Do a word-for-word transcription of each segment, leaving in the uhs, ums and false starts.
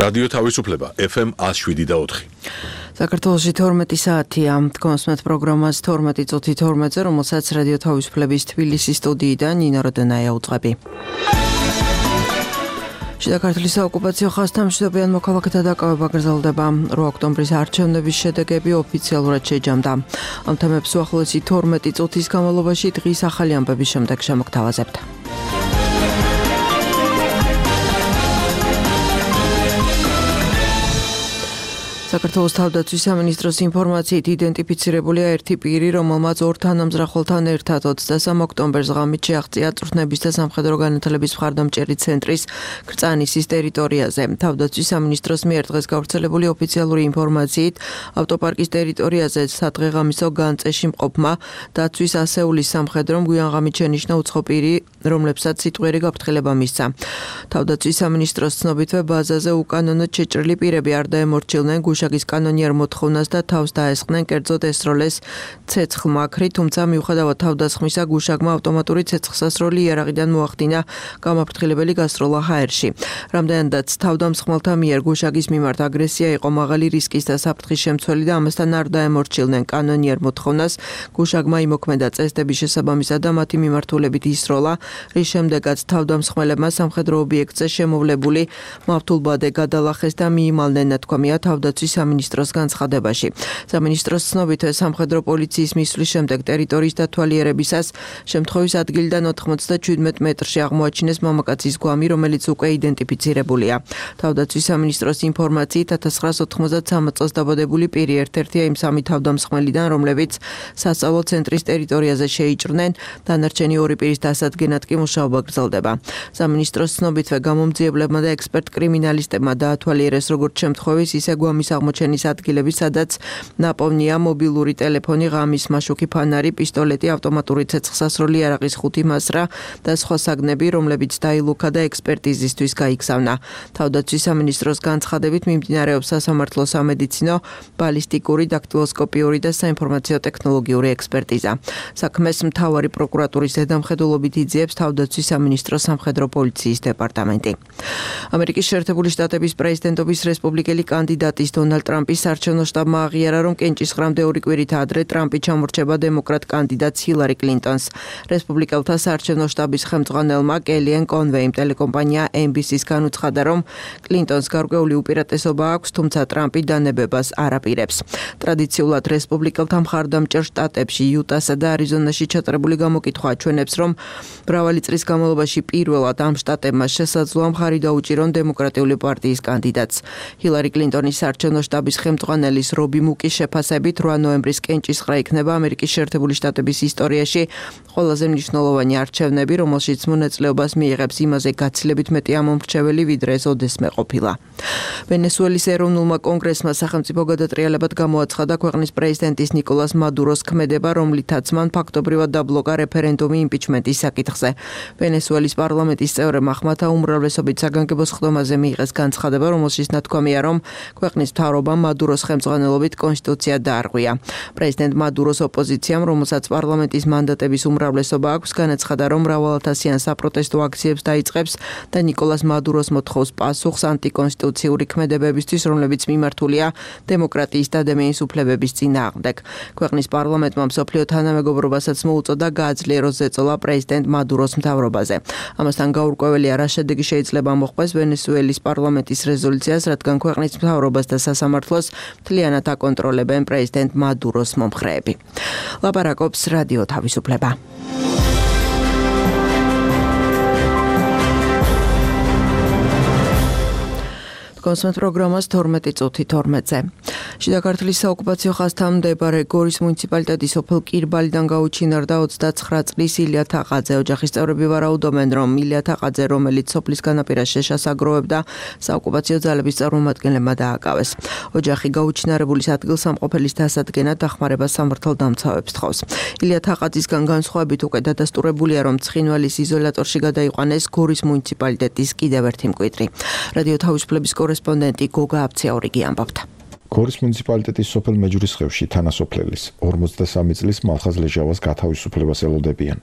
რადიო თავისუფლება ეფ ემ one oh seven და four. საქართველოში თორმეტი საათია. Თქვენსმეთ პროგრამას თორმეტი წუთი თორმეტზე, რომელსაც რადიო თავისუფლების თბილისის სტუდიიდან ნინო როდენაია უძღვები. შიდა ქართლის საოკუპაციო ხაზთან მშვიდობიან მოქალაქეთა დაკავება გრძელდება. ორი ოქტომბრის არჩევნების შედეგები ოფიციალურად შეჯამდა. ამ თემებს უახლოესი თორმეტი წუთის განმავლობაში დღის ახალი ამბების შემდეგ შემოგთავაზებთ. საქართველოს თავდაცვის სამინისტროს ინფორმაციით იდენტიფიცირებულია ერთი პირი, რომელმაც ორ თანამზრახველთან ერთად ოცდასამ ოქტომბერს ღამით შეაღწია წვრთნების და სამხედრო განათლების მხარდამჭერი ცენტრის კრწანისის ტერიტორიაზე. თავდაცვის სამინისტროს მიერ დღეს გავრცელებული ოფიციალური ინფორმაციით ავტოპარკის ტერიტორიაზე სადღეღამისო განწეში მყოფმა დაცვის ასეულის სამხედრომ გვიანღამით შენიშნა უცხო პირი, რომლებსაც სიტყვიერი გაფრთხილება მისცა. თავდაცვის სამინისტროს ცნობითვე ბაზაზე უკანონოდ შეჭრილი პირები არ დაემორჩილნენ გუშაგის კანონიერ მოთხოვნას და თავს დაესხნენ, კერძოდ ესროლეს ცეცხლმაქრი, თუმცა მიუხედავად თავდასხმისა გუშაგმა ავტომატური ცეცხლსასროლი იარაღიდან მოახდინა გამაფრთხილებელი გასროლა ჰაერში. რამდენადაც თავდამსხმელთა მიერ გუშაგის მიმართ აგრესია იყო მაღალი რისკის და საფრთხის შემცველი და ამასთან არ დაემორჩილნენ კანონიერ მოთხოვნას, გუშაგმა იმოქმედა წესდების შესაბამისად და მათი მიმართულებით ისროლა, რის შემდეგაც თავდამსხმელებმა სამხედრო ობიექტზე შემოვლებული მავთულბადე გადალახეს და მიიმალნენ, ნათქვამია თავდაცვის სამინისტროს განცხადებაში. სამინისტროს ცნობითვე სამხედრო პოლიციის მისვლის შემდეგ ტერიტორიის დათვალიერებისას შემთხვევის ადგილიდან ოთხმოცდაჩვიდმეტ მეტრში აღმოაჩინეს მამაკაცის გვამი, რომელიც უკვე იდენტიფიცირებულია. თავდაცვის სამინისტროს ინფორმაციით ათას ცხრაას ოთხმოცდათსამ წელს დაბადებული პირი ერთ-ერთია იმ სამი თავდამსხმელიდან, რომლებიც სასწავლო ცენტრის ტერიტორიაზე შეიჭრნენ, დანარჩენი ორი პირის დასადგენად კი მუშაობა გრძელდება. სამინისტროს ცნობითვე გამომძიებლებმა და ექსპერტ კრიმინალისტებმა დაათვალიერეს როგორც შემთხვევის, ისე გვამის აღმოჩენის ადგილები, სადაც ნაპოვნია მობილური ტელეფონი, ღამის მაშუქი ფანარი, პისტოლეტი, ავტომატური ცეცხლსასროლი, იარაღის ხუთი მასრა და სხვა საგნები, რომლებიც დაილუქა და ექსპერტიზისთვის გაიგზავნა. თავდაცვის სამინისტროს განცხადებით მიმდინარეობს სასამართლო სამედიცინო, ბალისტიკური, დაქტილოსკოპიური და საინფორმაციო ტექნოლოგიური ექსპერტიზა. საქმეს მთავარი პროკურატურის ზედამხედველობით იძიებს თავდაცვის სამინისტროს სამხედრო პოლიციის დეპარტამენტი. ამერიკის შეერთებული შტატების პრეზიდენტობის რესპუბლიკელი კანდიდატის დონალდ ტრამპის საარჩევნო შტაბმა აღიარა, რომ კენჭისყრამდე ორი კვირით ადრე ტრამპი ჩამორჩება დემოკრატ კანდიდატს ჰილარი კლინტონს. რესპუბლიკელთა საარჩევნო შტაბის ხელმძღვანელმა კელიან კონვეიმ ტელეკომპანია ენ ბი სი-ს განუცხადა, რომ კლინტონს გარკვეული უპირატესობა აქვს, თუმცა ტრამპი დანებებას არ აპირებს. ტრადიციულად რესპუბლიკელთა მხარდამჭერ შტატებში, იუტასა და არიზონაში ჩატარებული გამოკითხვა აჩვენებს, რომ მრავალი წლის განმავლობაში პირველად ამ შტატებმა შესაძლოა მხარი დაუჭირონ დემოკრატიული პარტიის კანდიდატს. ჰილარი კლინტონის საარჩევნო შტაბის ხელმძღვანელის რობი მუკის შეფასებით რვა ნოემბრის კენჭისყრა იქნება ამერიკის შეერთებული შტატების ისტორიაში ყველაზე მნიშვნელოვანი არჩევნები, რომელშიც მონაწილეობას მიიღებს იმაზე გაცილებით მეტი ამომრჩეველი, ვიდრე ეს ოდესმე ყოფილა. ვენესუელის ეროვნულმა კონგრესმა სახელმწიფო გადატრიალებად გამოაცხადა ქვეყნის პრეზიდენტის ნიკოლას მადუროს ქმედება, რომლითაც მან ფაქტობრივად დაბლოკა რეფერენდუმი იმპიჩმენტის საკითხზე. ვენესუელის პარლამენტის წევრებმა ხმათა უმრავლესობით საგანგებო სხდომაზე მიიღეს განცხადება, რომელშიც ნათქვამია, რომ ქვეყნის მთავრობამ მადუროს ხელმძღვანელობით კონსტიტუცია დაარღვია. პრეზიდენტ მადუროს ოპოზიციამ, რომელსაც პარლამენტის მანდატების უმრავლესობა აქვს, განაცხადა, რომ მრავალათასიან საპროტესტო აქციებს დაიწყებს და ნიკოლას მადუროს მოთხოვს პასუხს ანტიკონსტიტუციური ქმედებებისთვის, რომლებიც მიმართულია დემოკრატიის და ადამიანის უფლებების წინააღმდეგ. ქვეყნის პარლამენტმა მსოფლიო თანამეგობრობასაც მოუწოდა გააძლიეროს ზეწოლა პრეზიდენტ მადუროს მთავრობაზე. ამასთან გაურკვეველია, რა შედეგი შეიძლება მოჰყვეს ვენესუელის პარლამენტის რეზოლუციას, რადგან ქვეყნის მთავრობას და სასამართლოს მთლიანად აკონტროლებენ პრეზიდენტ მადუროს მომხრეები. ლაპარაკობს რადიო თავისუფლება. კონსმეთ პროგრამას თორმეტი წუთი თორმეტზე. შიდა ქართლის საოკუპაციო ხაზთან მდებარე გორის მუნიციპალიტეტის სოფელ კირბალიდან გაუჩინარდა ოცდაცხრა წლის ილია თაყაძე. ოჯახის წევრები ვარაუდობენ, რომ ილია თაყაძე, რომელიც სოფლის განაპირას შეშას აგროვებდა, საოკუპაციო ძალების წარმომადგენლებმა დააკავეს. ოჯახი გაუჩინარებულის ადგილსამყოფელის დასადგენად დახმარებას სამართალდამცავებს თხოვს. ილია თაყაძისგან განსხვავებით უკვე დადასტურებულია, რომ ცხინვალის იზოლატორში გადაიყვანეს გორის მუნიციპალიტეტის კიდევ ერთი მკვიდრი. რადიო თავისუფლების კორესპონდენტი გოგა აბციაურიგი ამბობდა. გორის მუნიციპალიტეტის სოფელ მეჯურის ხევში თანასოფლელის ორმოცდასამი წლის მალხაზ ლეჟავას გათავისუფლებას ელოდებიან.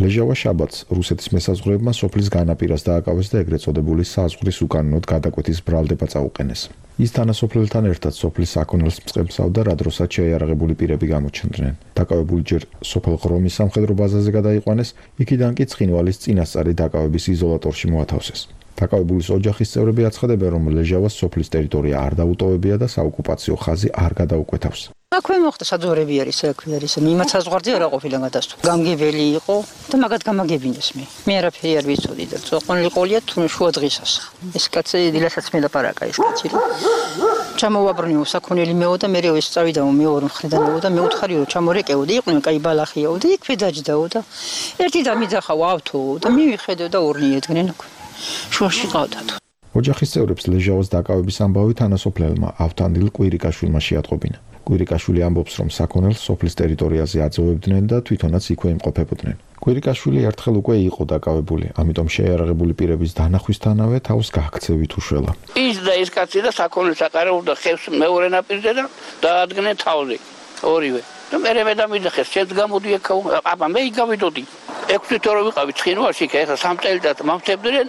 ლეჟავა შაბათს რუსეთის მესაზღვრეებმა სოფლის განაპირას დააკავეს და ეგრეთ წოდებული საზღვრის უკანონოდ გადაკვეთის ბრალდება წაუყენეს. ის თანასოფლელთან ერთად სოფლის საქონელს მწყემსავდა, რა დროსაც შეიარაღებული პირები გამოჩნდნენ. დაკავებული ჯერ სოფელ ღრომის სამხედრო ბაზაზე გადაიყვანეს, იქიდან კი ცხინვალის წინასწარი დაკავების იზოლატორში მოათავსეს. დაკავებულის ოჯახის წევრები აცხადებენ, რომ ლეჟავას სოფლის ტერიტორია არ დაუტოვებია და საოკუპაციო ხაზი არ გადაუკვეთავს. აქვე მოხდა საძოვრები არის, აქვე არის. იმათ საზღვარზე არა ყოფილა გადასტო. გამგებელი იყო და მაგათ გამაგებინეს მე. მე არაფერი არ ვიცოდი და წოყონილი ყოლია თუ შუა დღისას. ეს კაცი დილასაც მე ლაპარაკა ეს კაცი. ჩამოვაბრუნიო საქონელი მეო და მე ეს წავიდა მეორე მხრიდანო და მე უთხარი რომ ჩამორეკეო და იყვნენ კაი ბალახიაო და იქვე დაჯდაო და ერთი დამიძახავ ავთო და მივიხედო და ორნი ედგნენ აქვე. შუაში ყავდათ. ოჯახის წევრებს ლეჟავას დაკავების ამბავი თანასოფლელმა ავთანდილ კვირიკაშვილმა შეატყობინა. კვირიკაშვილი ამბობს, რომ საქონელს სოფლის ტერიტორიაზე აძოვებდნენ და თვითონაც იქვე იმყოფებოდნენ. კვირიკაშვილი ერთხელ უკვე იყო დაკავებული, ამიტომ შეიარაღებული პირების დანახვისთანავე თავს გააქცევით უშველა. ის და ეს კაცი და საქონელს აკარავდა ხევს მეორე ნაპირზე და დაადგნენ თავზე ორივე. და მე მე დამიძახეს, შეც გამოდი ეკაო, აბა მე იგავიდოდი. ექვსი თორო ვიყავი ცხინვალში, ეხლა სამწელდათ მამთებდნენ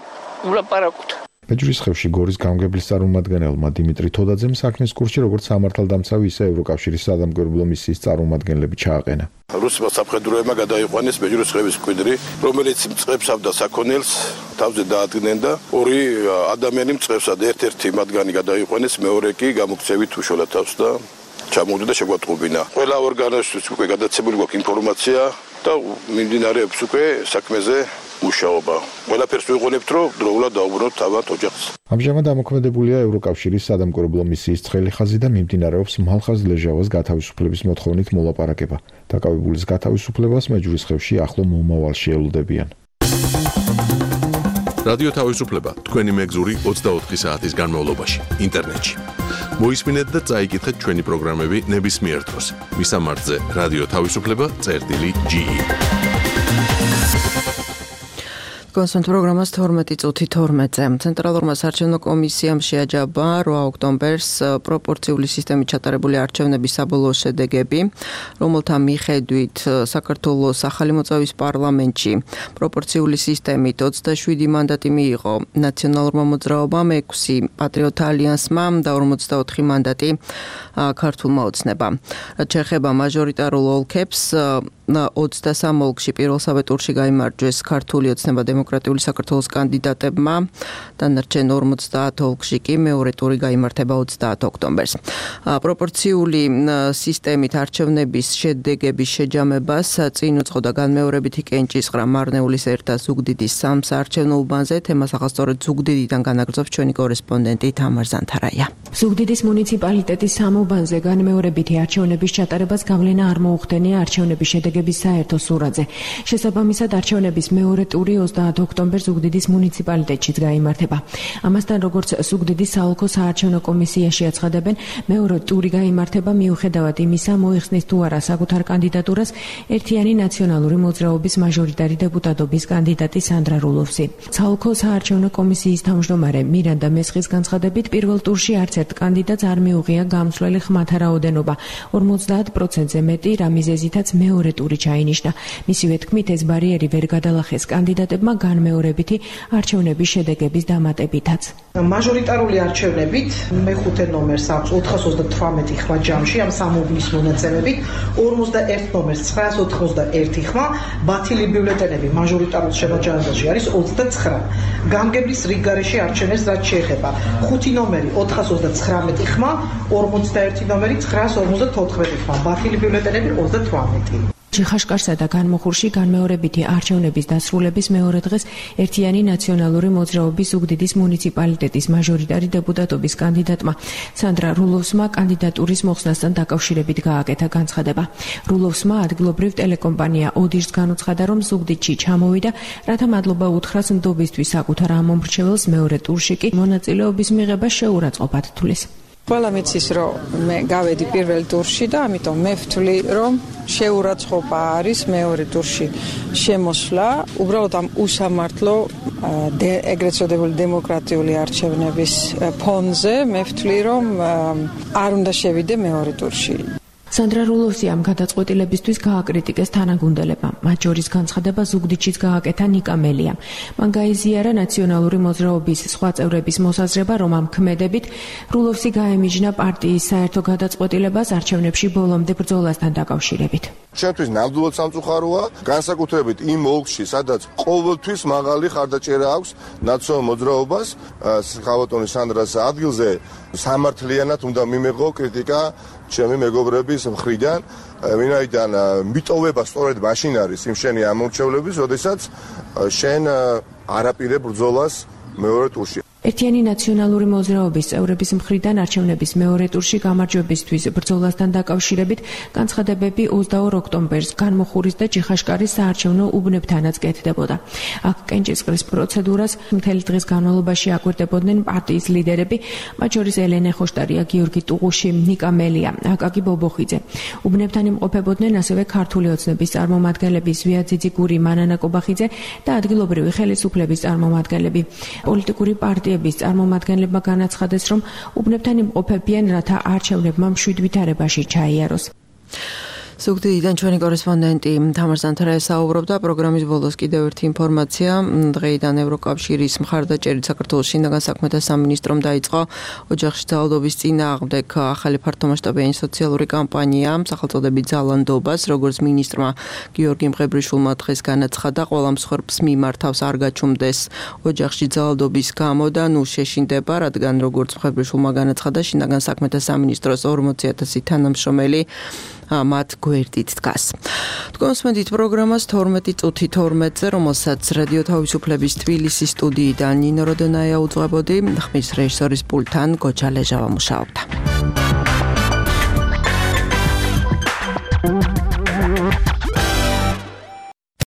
ულაპარაკოთ. ბეჯვრისხევში გორის გამგებლის წარმომადგენელმა დიმიტრი თოდაძემ საქმის კურსში როგორც სამართალდამცავი, ისე ევროკავშირის სადამკვირვებლო მისიის წარმომადგენლები ჩააყენა. რუსმა სამხედროებმა გადაიყვანეს ბეჯვრისხევის მკვიდრი, რომელიც მწყებსავდა საქონელს, თავზე დაადგნენ და ორი ადამიანი მწყებსა და ერთ-ერთი მათგანი გადაიყვანეს, მეორე კი გამოქცევით უშველა თავს და ჩამოვიდა და შეგვატყობინა. ყველა ორგანოსთვის უკვე გადაცემული გვაქვს ინფორმაცია და მიმდინარეობს უკვე საქმეზე მუშაობა. ყველაფერს ვიყენებთ, რომ დროულად დაუბრუნოთ თავად ოჯახს. ამჟამად ამოქმედებულია ევროკავშირის სადამკვირვებლო მისიის ცხელი ხაზი და მიმდინარეობს მალხაზ ლეჟავას გათავისუფლების მოთხოვნით მოლაპარაკება. დაკავებულის გათავისუფლებას მეჯვრისხევში ახლო მომავალში ელოდებიან. რადიო თავისუფლება თქვენი მეგზური ოცდაოთხი საათის განმავლობაში ინტერნეტში. მოისმინეთ და წაიკითხეთ ჩვენი პროგრამები ნებისმიერ დროს. მისამართზე რადიო თავისუფლება წერტილი ჯი ი. კონსულტ პროგრამას თორმეტი წუთი თორმეტზე. ცენტრალურმა საარჩევნო კომისიამ შეაჯამა რვა ოქტომბერს პროპორციული სისტემით ჩატარებული არჩევნების საბოლოო შედეგები, რომელთა მიხედვით საქართველოს ახალი მოწვევის პარლამენტში პროპორციული სისტემით ოცდაშვიდი მანდატი მიიღო ნაციონალურმა მოძრაობამ, ექვსი პატრიოტ ალიანსმა და ორმოცდაოთხი მანდატი ქართულმა ოცნებამ. რაც შეეხება მაჟორიტარულ ოლქებს, ოცდასამ ოლქში პირველსავე ტურში გაიმარჯვეს ქართული ოცნება დემოკრატიული საქართველოს კანდიდატებმა, დანარჩენ ორმოცდაათ ოლქში კი მეორე ტური გაიმართება ოცდაათ ოქტომბერს. პროპორციული სისტემით არჩევნების შედეგების შეჯამებას წინ უძღოდა განმეორებითი კენჭისყრა მარნეულის ერთა ზუგდიდის სამ საარჩევნო უბანზე. თემას ახალწორედ ზუგდიდიდან განაგრძობს ჩვენი კორესპონდენტი თამარ ზანთარაია. ზუგდიდის მუნიციპალიტეტის სამ უბანზე განმეორებითი არჩევნების ჩატარებას გავლენა არ მოუხდენია არჩევნების შედეგების საერთო სურათზე. შესაბამისად, არჩევნების მეორე ტური ოცდაათ ოქტომბერს ზუგდიდის მუნიციპალიტეტშიც გაიმართება. ამასთან, როგორც ზუგდიდის საოლქო საარჩევნო კომისიაში აცხადებენ, მეორე ტური გაიმართება მიუხედავად იმისა, მოიხსნის თუ არა საკუთარ კანდიდატურას ერთიანი ნაციონალური მოძრაობის მაჟორიტარი დეპუტატობის კანდიდატი სანდრა რულოვსი. საოლქო საარჩევნო კომისიის თავმჯდომარე მირანდა მესხის განცხადებით, პირველ ტურში არც ერთ კანდიდატს არ მიუღია გამსვლელი ხმათა რაოდენობა, ორმოცდაათ პროცენტზე მეტი, რა მიზეზითაც მეორე ტური ჩაინიშნა. მისივე თქმით, ეს ბარიერი ვერ გადალახეს კანდიდატებმა განმეორებითი არჩევნების შედეგების დამატებითაც. მაჟორიტარული არჩევნებით მეხუთე ნომერს აქვს ოთხას ოცდათვრამეტი ხმა ჯამში ამ სამ უბნის მონაცემებით, ორმოცდაერთ ნომერს ცხრაას ოთხმოცდაერთი ხმა, ბათილი ბიულეტენები მაჟორიტარულ შემაჯამებაში არის ოცდაცხრა. გამგებლის რიგგარეშე არჩევნებს რაც შეეხება, ხუთი ნომერი ოთხას ოცდაცხრამეტი ხმა, ორმოცდაერთი ნომერი ცხრაას ორმოცდათოთხმეტი ხმა, ბათილი ბიულეტენები ოცდათვრამეტი. ხაშკარსა და განმოხურში განმეორებითი არჩევნების დასრულების მეორე დღეს ერთიანი ნაციონალური მოძრაობის ზუგდიდის მუნიციპალიტეტის მაჟორიტარი დეპუტატობის კანდიდატმა სანდრა რულოვსმა კანდიდატურის მოხსნასთან დაკავშირებით გააკეთა განცხადება. რულოვსმა ადგილობრივ ტელეკომპანია ოდიშს განუცხადა, რომ ზუგდიდში ჩამოვიდა, რათა მადლობა უთხრას ნდობისთვის საკუთარ ამომრჩეველს, მეორე ტურში კი მონაწილეობის მიღება შეურაცხყოფად თulis. ყველა მიცის, რომ მე გავედი პირველ ტურში და ამიტომ მე ვთვლი, რომ შეურაცხყოფა არის მეორე ტურში შემოსვლა. უბრალოდ ამ უსამართლო ეგრეთ წოდებული დემოკრატიული არჩევნების ფონზე მე ვთვლი, რომ არ უნდა შევიდე მეორე ტურში. სანდრა რულოვსი ამ გადაწყვეტილებისთვის გააკრიტიკეს თანაგუნდელებმა. მათ შორის განცხადება ზუგდიდშიც გააკეთა ნიკა მელიამ. მან გაიზიარა ნაციონალური მოძრაობის სხვა წევრების მოსაზრება, რომ ამ ქმედებით რულოვსი გაემიჯნა პარტიის საერთო გადაწყვეტილებას არჩევნებში ბოლომდე ბრძოლასთან დაკავშირებით. Ჩვენთვის ნამდვილად სამწუხაროა, განსაკუთრებით იმ ოლქში, სადაც ყოველთვის მაღალი ხარდაჭერა აქვს ნაციონალურ მოძრაობას, ხავატონის სანდრას ადგილზე სამართლიანად უნდა მიმეღო კრიტიკა ჩემი მეგობრების მხრიდან, ვინაიდან მიტოვება სწორედ მაშინ არის იმ შენი ამორჩევლების, როდესაც შენ არაპირებ ბრძოლას მეორე ტურში. ერთიანი ნაციონალური მოძრაობის წევრების მხრიდან არჩევნების მეორე ტურში გამარჯვებისთვის ბრძოლასთან დაკავშირებით განცხადებები ოცდაორ ოქტომბერს განმოხურის და ჯიხაშკარის საარჩევნო უბნებთანაც კეთდებოდა. აქ კენჭისყრის პროცედურას მთელი დღის განმავლობაში აკვირდებოდნენ პარტიის ლიდერები, მათ შორის ელენე ხოშტარია, გიორგი ტუღუში, ნიკა მელია, აკაკი ბობოხიძე. უბნებთან იმყოფებოდნენ ასევე ქართული ოცნების წარმომადგენლები ზვია ძიძიგური, მანანა კობახიძე და ადგილობრივი ხელისუფლების წარმომადგენლები. პოლიტიკური პარტია პარტიების წარმომადგენლებმა განაცხადეს, რომ უბნებთან იმყოფებიან, რათა არჩევნებმა მშვიდ ვითარებაში ჩაიაროს. ზუგდიდიდან ჩვენი კორესპონდენტი თამარ ზანთარაია საუბრობდა. პროგრამის ბოლოს კიდევ ერთი ინფორმაცია. დღეიდან ევროკავშირის მხარდაჭერით საქართველოს შინაგან საქმეთა სამინისტრომ დაიწყო ოჯახში ძალადობის წინააღმდეგ ახალი ფართომასშტაბიანი სოციალური კამპანია სახელწოდებით ძალანდობას, როგორც მინისტრმა გიორგი მღებრიშვილმა დღეს განაცხადა, ყველა მსხვერპლს მიმართავს არ გაჩუმდეს ოჯახში ძალადობის გამო და ნუ შეშინდება, რადგან როგორც მღებრიშვილმა განაცხადა, შინაგან საქმეთა სამინისტროს ორმოცი ათასი თანამშრომელი მათ გვერდით დგას. თქვენსმენდით პროგრამას თორმეტი წუთი თორმეტზე, რომელსაც რადიო თავისუფლების თბილისის სტუდიიდან ნინო როდონაია უძღვებოდი, ხმის რეჟისორის პულტთან გოჩა ლეჟავა მუშაობდა.